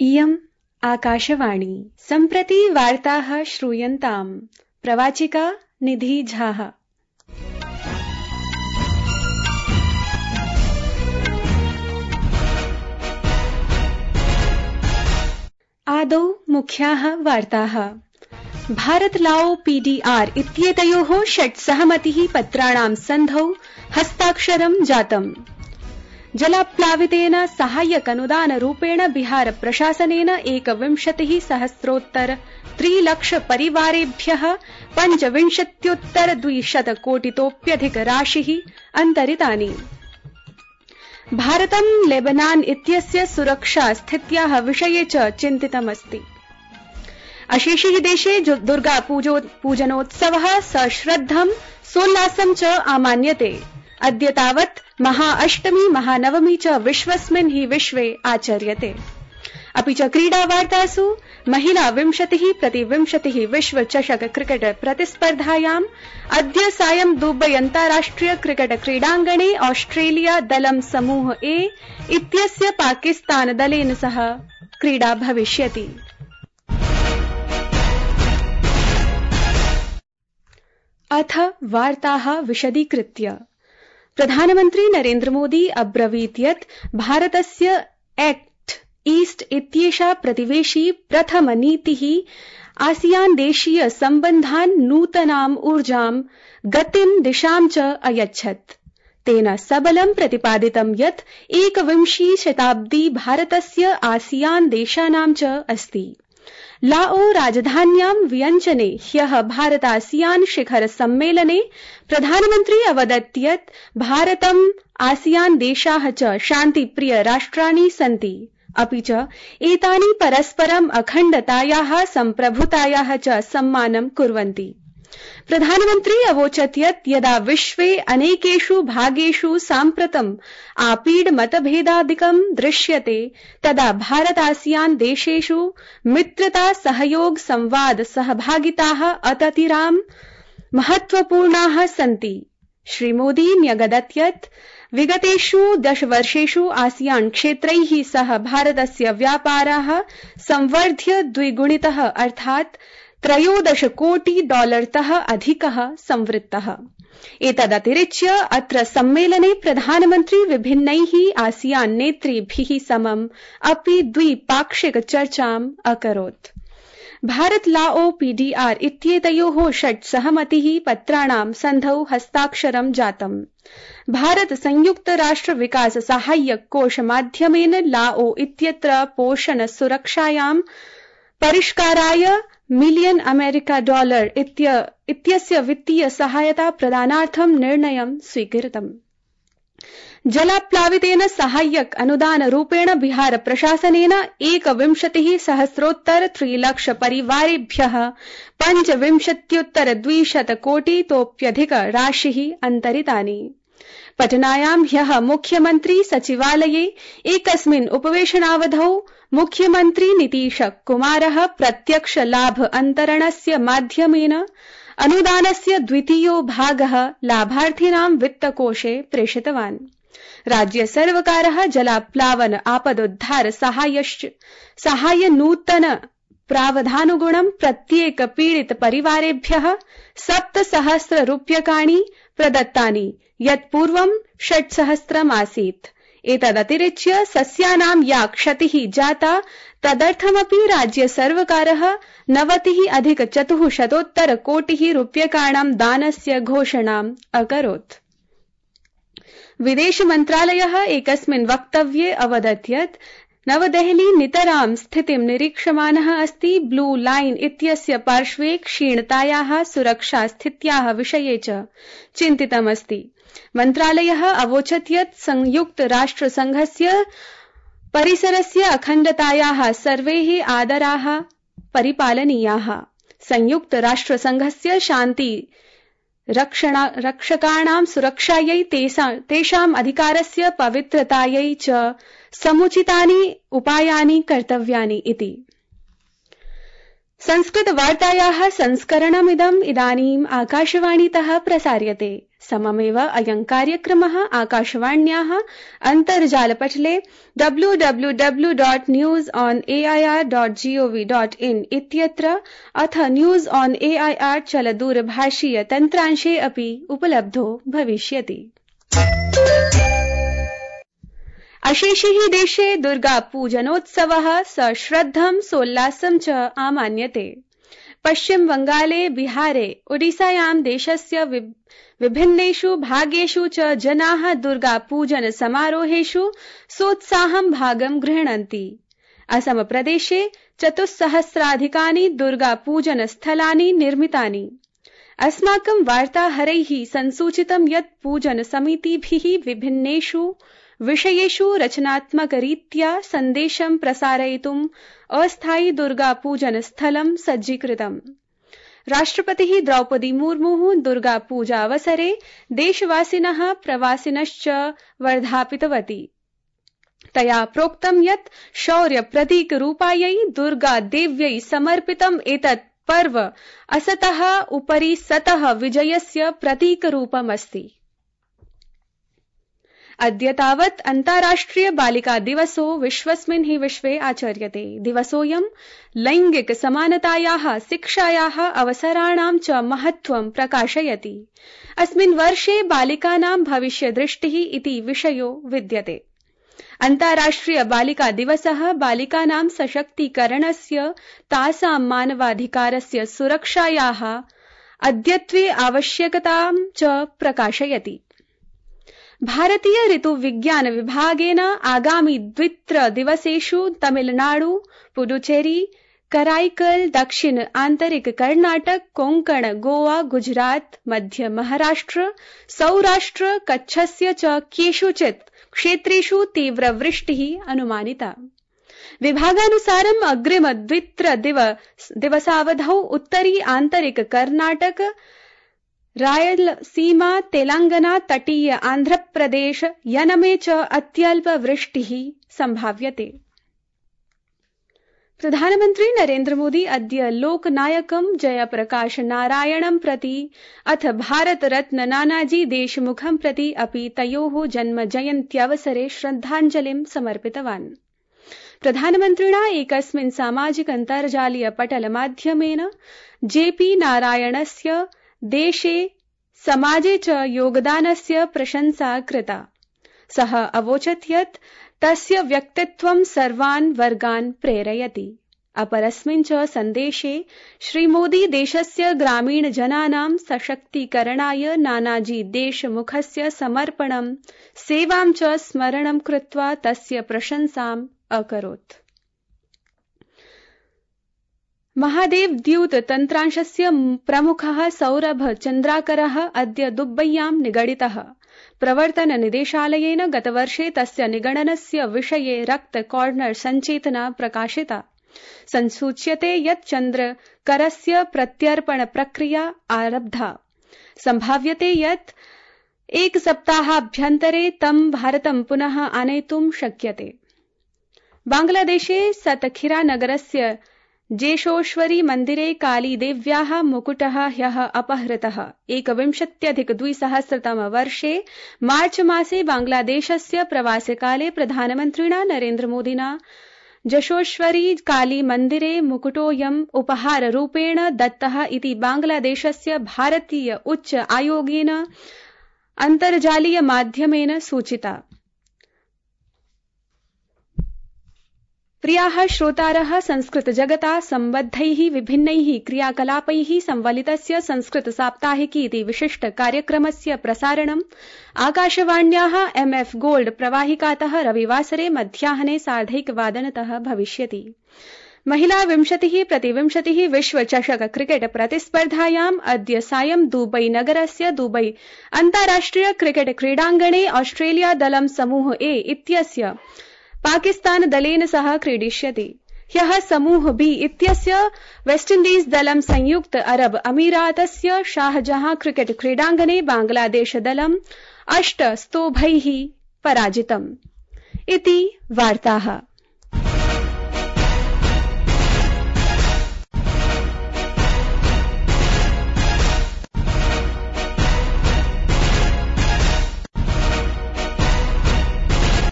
इयम् आकाशवाणी सम्प्रति वार्ताः श्रूयन्ताम्। प्रवाचिका निधि झाः। आदौ मुख्याः वार्ताः। भारत लाओ पीडीआर इत्येतयोः 6 सहमतिः पत्राणां सन्धौ हस्ताक्षरं जातम्। जलाप्लावितेन साहाय्यकनुदानरूपेण बिहार प्रशासनेन 21,000,000 परिवारेभ्यः 25,200 कोटितोप्यधिक राशिः अन्तरितानि। भारतं लेबनान इत्यस्य सुरक्षा स्थित्याः विषये च चिन्तितमस्ति। अशेषे देशे दुर्गा पूजनोत्सवः सश्रद्धं सोल्लासं च आमान्यते। अद्य तावत् महाअष्टमी महानवमी च विश्वस्मिन् हि विश्वे आचर्यते। अपि च क्रीडावार्तासु महिला 20x20 विश्वचषक क्रिकेट प्रतिस्पर्धायाम् अद्य सायं दुबई अन्ताराष्ट्रिय क्रिकेट क्रीडाङ्गणे ऑस्ट्रेलिया दलं समूह ए इत्यस्य पाकिस्तान दलेन सह क्रीडा भविष्यति। अथ वार्ताः विशदीकृत्य। प्रधानमन्त्री नरेन्द्र मोदी अब्रवीत् यत् भारतस्य एक्ट ईस्ट इत्येषा प्रतिवेशी प्रथम नीतिः आसियान देशीय सम्बन्धान् नूतनाम् ऊर्जां गतिं दिशां च अयच्छत्। तेन सबलं प्रतिपादितं यत् 21वी शताब्दी भारतस्य आसियान देशानां च अस्ति। लाओ राजधान्यां वियंचने ह्यः भारत आसियान शिखर सम्मेलने प्रधानमन्त्री अवदत् यत् भारतम् आसियान देशाः च शान्तिप्रिय राष्ट्राणि सन्ति। अपि च एतानि परस्परम् अखण्डतायाः सम्प्रभुतायाः च सम्मानं कुर्वन्ति। प्रधानमन्त्री अवोचत् यत् यदा विश्वे अनेकेषु भागेषु साम्प्रतम् आपीड मतभेदादिकं दृश्यते तदा भारत आसियान देशेषु मित्रता सहयोग संवाद सहभागिताः अततिराम महत्वपूर्णाः सन्ति। श्रीमोदी न्यगदत् यत् विगतेषु 10 वर्षेषु आसियान क्षेत्रैः सह भारतस्य व्यापारः संवर्ध्य द्विगुणितः अर्थात् $13 कोटि अधिकः संवृत्तः। एतदतिरिच्य अत्र सम्मेलने प्रधानमन्त्री विभिन्नैः आसियान नेतृभिः समम् अपि द्विपाक्षिक चर्चाम् अकरोत्। भारत लाओ पीडीआर इत्येतयोः 6 सहमतिः पत्राणां सन्धौ हस्ताक्षरं जातम्। भारत संयुक्त राष्ट्र विकास साहाय्यक कोष माध्यमेन लाओ इत्यत्र पोषण सुरक्षायां परिष्काराय $1 मिलियन इत्यस्य वित्तीय सहायता प्रदानार्थं निर्णयं स्वीकृतम्। जलाप्लावितेन साहाय्यक अनुदान रूपेण बिहार प्रशासनेन 21,000,000 परिवारेभ्यः 25,200 कोटितोप्यधिक राशिः अन्तरितानि। पटनायां ह्यः मुख्यमन्त्री सचिवालये एकस्मिन् उपवेशनावधौ मुख्यमन्त्री नीतीश कुमारः प्रत्यक्ष लाभ अन्तरणस्य माध्यमेन अनुदानस्य द्वितीयो भागः लाभार्थिनां वित्तकोषे प्रेषितवान्। राज्य सर्वकारः जलाप्लावन आपदोद्धार साहाय्य नूतन प्रावधानुगुणं प्रत्येक पीडित परिवारेभ्यः 7,000 रूप्यकाणि प्रदत्तानि यत् पूर्वं 6,000 आसीत्। एतदतिरिच्य सस्यानां या क्षतिः जाता तदर्थमपि राज्य सर्वकारः 90,400 कोटिः रूप्यकाणां दानस्य घोषणाम् अकरोत्। विदेश मन्त्रालयः एकस्मिन् वक्तव्ये अवदत् यत् नवदेहली नितरां स्थितिं निरीक्षमाणः अस्ति। ब्लू लाइन इत्यस्य पार्श्वे क्षीणतायाः सुरक्षा स्थित्याः विषये च चिन्तितमस्ति। मन्त्रालयः अवोचत् यत् संयुक्त राष्ट्र संघस्य परिसरस्य अखण्डतायाः सर्वेः आदराः परिपालनीयाः। संयुक्त राष्ट्र संघस्य शान्ति रक्षकाणां सुरक्षायै तेषाम् अधिकारस्य पवित्रतायै च समुचितानि उपायानि कर्तव्यानि इति। संस्कृत वार्तायाः संस्करणमिदम् इदानीम् आकाशवाणीतः प्रसार्यते। सममेव अयं कार्यक्रमः आकाशवाण्याः अन्तर्जालपटले www.newsonair.gov.in इत्यत्र अथ न्यूज ऑन एआईआर चलदूरभाषीय तन्त्रांशे अपि उपलब्धो भविष्यति। अशेषे देशे दुर्गा पूजनोत्सवः सश्रद्धं सोल्लासं च आमान्यते। पश्चिम बंगाले, बिहारे, ओडिसायां देशस्य विभिन्नेषु भागेषु च जनाः दुर्गा पूजन समारोहेषु सोत्साहं भागं गृह्णन्ति। असम प्रदेशे 4,000-अधिकानि दुर्गा पूजन स्थलानि निर्मितानि। अस्माकं वार्ताहरैः संसूचितं यत् पूजन समितिभिः विभिन्नेषु विषयेषु रचनात्मकरीत्या सन्देशं प्रसारयितुम् अस्थायि दुर्गा पूजन स्थलं सज्जीकृतम्। राष्ट्रपतिः द्रौपदी मुर्मुः दुर्गा पूजावसरे देशवासिनः प्रवासिनश्च वर्धापितवती। तया प्रोक्तं यत् शौर्य प्रतीकरूपायै दुर्गा देव्यै समर्पितम् एतत् पर्व असतः उपरि सतः विजयस्य प्रतीकरूपमस्ति। अद्य तावत् अन्ताराष्ट्रिय बालिका दिवसो विश्वस्मिन् हि विश्वे आचर्यते। दिवसोऽयं लैंगिक समानतायाः, शिक्षायाः अवसराणां च महत्त्वं प्रकाशयति। अस्मिन् वर्षे बालिकानां भविष्यदृष्टिः इति विषयो विद्यते। अन्ताराष्ट्रिय बालिका दिवसः बालिकानां सशक्तीकरणस्य, तासां मानवाधिकारस्य सुरक्षायाः अद्यत्वे आवश्यकतां च प्रकाशयति। भारतीय ऋतुविज्ञान विभागेन आगामि 2-3 दिवसेषु तमिलनाडु, पुडुचेरी, कराईकल, दक्षिण आन्तरिक कर्णाटक, कोंकण, गोवा, गुजरात, मध्य महाराष्ट्र, सौराष्ट्र, कच्छस्य च केषुचित् क्षेत्रेषु तीव्रवृष्टिः अनुमानिता। विभागानुसारम् अग्रिम 2-3 दिवसावधौ उत्तरी आन्तरिक कर्णाटक, रायलसीमा, तेलंगाना, तटीय आन्ध्रप्रदेश, यनमे च अत्यल्प वृष्टिः संभाव्यते। प्रधानमन्त्री नरेन्द्र मोदी अद्य लोकनायकं जयप्रकाश नारायणं प्रति अथ भारत रत्न नानाजी देशमुखं प्रति अपि तयोः जन्म जयन्त्यवसरे श्रद्धाञ्जलिं समर्पितवान्। प्रधानमन्त्रिणा एकस्मिन् सामाजिक अन्तर्जालीय पटलमाध्यमेन जेपी नारायणस्य देशे समाजे च योगदानस्य प्रशंसा कृता। सः अवोचत् यत् तस्य व्यक्तित्वं सर्वान् वर्गान् प्रेरयति। अपरस्मिन् च सन्देशे श्रीमोदी देशस्य ग्रामीण जनानां सशक्तीकरणाय नानाजी देशमुखस्य समर्पणं, सेवां च स्मरणं कृत्वा तस्य प्रशंसाम् अकरोत्। महादेव द्यूत तन्त्रांशस्य प्रमुखः सौरभ चन्द्राकरः अद्य दुबय्यां निगडितः। प्रवर्तन निदेशालयेन गतवर्षे तस्य निगडनस्य विषये रक्त कॉर्नर सञ्चेतना प्रकाशिता। संसूच्यते यत् चन्द्रकरस्य प्रत्यर्पण प्रक्रिया आरब्धा। संभाव्यते यत् एकसप्ताहाभ्यन्तरे तं भारतं पुनः आनेतुं शक्यते। बांग्लादेशे सतखिरा नगरस्य जेशोश्वरी मन्दिरे कालीदेव्याः मुकुटः ह्यः अपहृतः। 21अधिक-2000 वर्षे मार्च मासे बांग्लादेशस्य प्रवासकाले प्रधानमन्त्रिणा नरेन्द्र मोदिना जशोश्वरी काली मन्दिरे मुकुटोऽयम् उपहाररूपेण दत्तः इति बांग्लादेशस्य भारतीय उच्च आयोगेन अन्तर्जालीय माध्यमेन सूचिता। प्रियाः श्रोतारः, संस्कृत जगता सम्बद्धैः विभिन्नैः क्रियाकलापैः संवलितस्य संस्कृत साप्ताहिकी इति विशिष्ट कार्यक्रमस्य प्रसारणम् आकाशवाण्याः MF गोल्ड प्रवाहिकातः रविवासरे मध्याह्ने 1:30 भविष्यति। महिला 20x20 विश्वचषक क्रिकेट प्रतिस्पर्धायाम् अद्य सायं दुबई नगरस्य दुबई अन्ताराष्ट्रिय क्रिकेट क्रीडाङ्गणे ऑस्ट्रेलिया दलं समूह ए इत्यस्य पाकिस्तान दलेन सह क्रीडिष्यति। ह्यः समूह बी इत्यस्य वेस्टइण्डीज दलं संयुक्त अरब अमीरातस्य शाहजहां क्रिकेट क्रीडाङ्गणे बांग्लादेश दलं 8 स्तोभैः पराजितम्। इति वार्ताः।